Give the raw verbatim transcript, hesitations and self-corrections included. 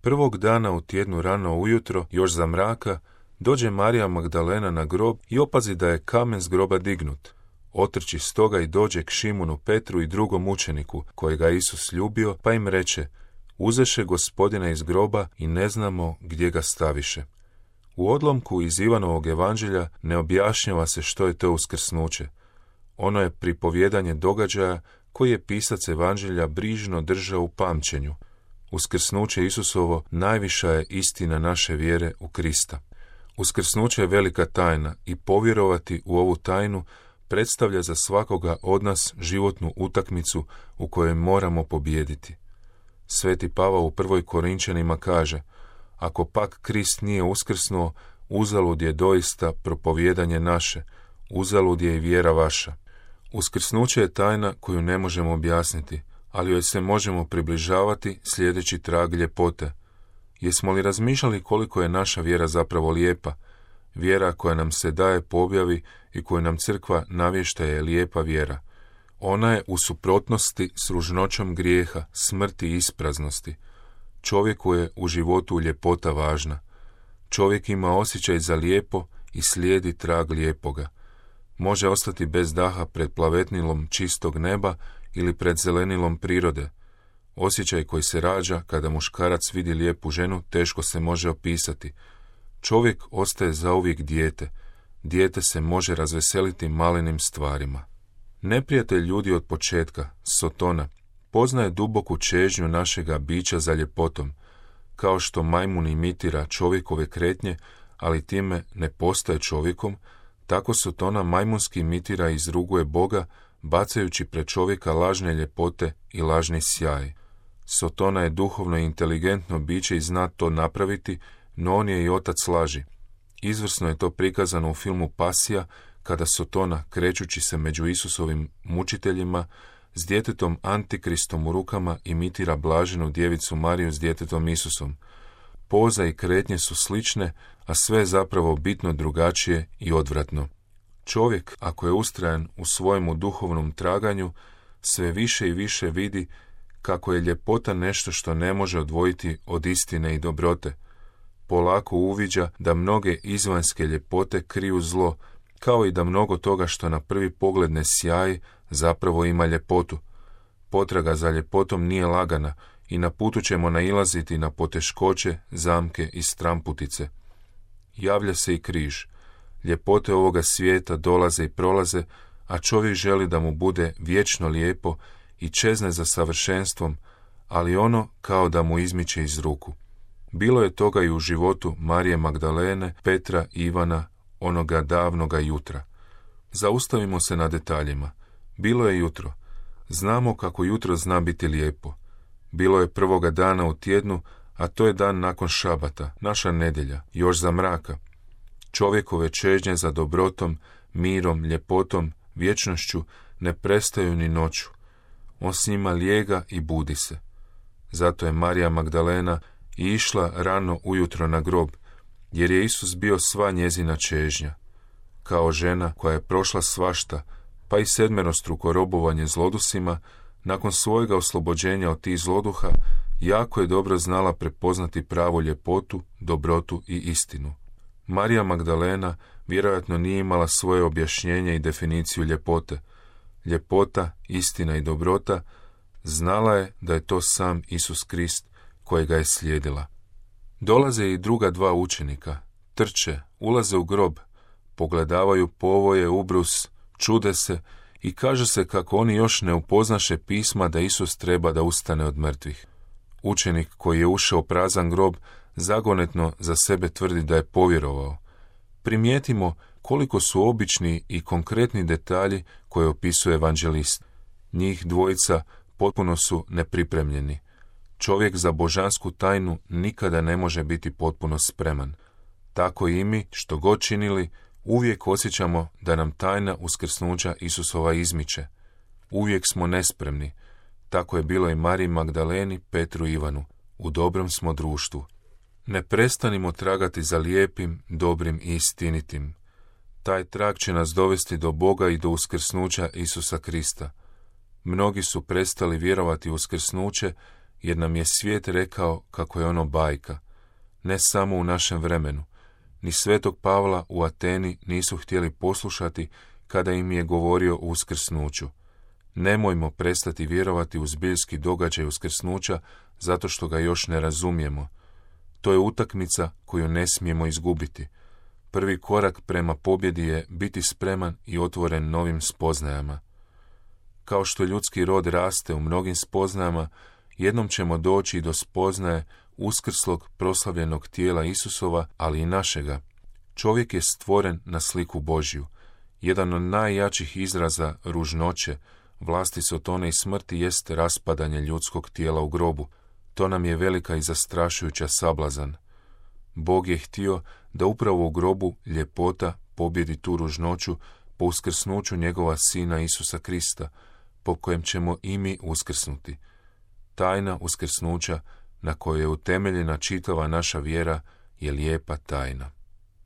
Prvog dana u tjednu rano ujutro, još za mraka, dođe Marija Magdalena na grob i opazi da je kamen s groba dignut. Otrči stoga i dođe k Šimunu Petru i drugom učeniku, kojega Isus ljubio, pa im reče: Uzeše Gospodina iz groba i ne znamo gdje ga staviše. U odlomku iz Ivanovog evanđelja ne objašnjava se što je to uskrsnuće. Ono je pripovjedanje događaja koji je pisac evanđelja brižno držao u pamćenju. Uskrsnuće Isusovo najviša je istina naše vjere u Krista. Uskrsnuće je velika tajna i povjerovati u ovu tajnu predstavlja za svakoga od nas životnu utakmicu u kojoj moramo pobijediti. Sveti Pavao u prvoj Korinčanima kaže: Ako pak Krist nije uskrsnuo, uzalud je doista propovijedanje naše, uzalud je i vjera vaša. Uskrsnuće je tajna koju ne možemo objasniti, ali joj se možemo približavati slijedeći trag ljepote. Jesmo li razmišljali koliko je naša vjera zapravo lijepa? Vjera koja nam se daje po objavi i koju nam crkva navješta je lijepa vjera. Ona je u suprotnosti s ružnoćom grijeha, smrti i ispraznosti. Čovjeku je u životu ljepota važna. Čovjek ima osjećaj za lijepo i slijedi trag lijepoga. Može ostati bez daha pred plavetnilom čistog neba ili pred zelenilom prirode. Osjećaj koji se rađa kada muškarac vidi lijepu ženu teško se može opisati. Čovjek ostaje zauvijek dijete. Dijete se može razveseliti malenim stvarima. Neprijatelj ljudi od početka, Sotona, poznaje duboku čežnju našega bića za ljepotom. Kao što majmun imitira čovjekove kretnje, ali time ne postaje čovjekom, tako Sotona majmunski imitira i izruguje Boga, bacajući pred čovjeka lažne ljepote i lažni sjaj. Sotona je duhovno i inteligentno biće i zna to napraviti, no on je i otac laži. Izvrsno je to prikazano u filmu Pasija, kada Sotona, krećući se među Isusovim mučiteljima, s djetetom Antikristom u rukama imitira blaženu djevicu Mariju s djetetom Isusom. Poza i kretnje su slične, a sve je zapravo bitno drugačije i odvratno. Čovjek, ako je ustrajan u svojemu duhovnom traganju, sve više i više vidi kako je ljepota nešto što ne može odvojiti od istine i dobrote. Polako uviđa da mnoge izvanjske ljepote kriju zlo, kao i da mnogo toga što na prvi pogled ne sjaji, zapravo ima ljepotu. Potraga za ljepotom nije lagana i na putu ćemo nailaziti na poteškoće, zamke i stramputice. Javlja se i križ. Ljepote ovoga svijeta dolaze i prolaze, a čovjek želi da mu bude vječno lijepo i čezne za savršenstvom, ali ono kao da mu izmiče iz ruku. Bilo je toga i u životu Marije Magdalene, Petra i Ivana, onoga davnoga jutra. Zaustavimo se na detaljima. Bilo je jutro. Znamo kako jutro zna biti lijepo. Bilo je prvoga dana u tjednu, a to je dan nakon šabata, naša nedjelja, još za mraka. Čovjekove čežnje za dobrotom, mirom, ljepotom, vječnošću ne prestaju ni noću. On s njima lijega i budi se. Zato je Marija Magdalena i išla rano ujutro na grob, jer je Isus bio sva njezina čežnja. Kao žena koja je prošla svašta, pa i sedmerostruko robovanje zlodusima, nakon svojega oslobođenja od tih zloduha, jako je dobro znala prepoznati pravu ljepotu, dobrotu i istinu. Marija Magdalena vjerojatno nije imala svoje objašnjenje i definiciju ljepote. Ljepota, istina i dobrota, znala je da je to sam Isus Krist kojega je slijedila. Dolaze i druga dva učenika, trče, ulaze u grob, pogledavaju povoje, ubrus, čude se i kaže se kako oni još ne upoznaše pisma da Isus treba da ustane od mrtvih. Učenik koji je ušao prazan grob zagonetno za sebe tvrdi da je povjerovao. Primijetimo koliko su obični i konkretni detalji koje opisuje evanđelist. Njih dvojica potpuno su nepripremljeni. Čovjek za božansku tajnu nikada ne može biti potpuno spreman. Tako i mi, što god činili, uvijek osjećamo da nam tajna uskrsnuća Isusova izmiče. Uvijek smo nespremni. Tako je bilo i Mariji Magdaleni, Petru i Ivanu. U dobrom smo društvu. Ne prestanimo tragati za lijepim, dobrim i istinitim. Taj trag će nas dovesti do Boga i do uskrsnuća Isusa Krista. Mnogi su prestali vjerovati u uskrsnuće jer nam je svijet rekao kako je ono bajka. Ne samo u našem vremenu. Ni svetog Pavla u Ateni nisu htjeli poslušati kada im je govorio o uskrsnuću. Nemojmo prestati vjerovati u zbiljski događaj uskrsnuća zato što ga još ne razumijemo. To je utakmica koju ne smijemo izgubiti. Prvi korak prema pobjedi je biti spreman i otvoren novim spoznajama. Kao što ljudski rod raste u mnogim spoznajama, jednom ćemo doći do spoznaje uskrslog proslavljenog tijela Isusova, ali i našega. Čovjek je stvoren na sliku Božju. Jedan od najjačih izraza ružnoće, vlasti Sotone i smrti jest raspadanje ljudskog tijela u grobu. To nam je velika i zastrašujuća sablazan. Bog je htio da upravo u grobu ljepota pobjedi tu ružnoću po uskrsnuću njegova Sina Isusa Krista, po kojem ćemo i mi uskrsnuti. Tajna uskrsnuća na kojoj je utemeljena čitava naša vjera je lijepa tajna.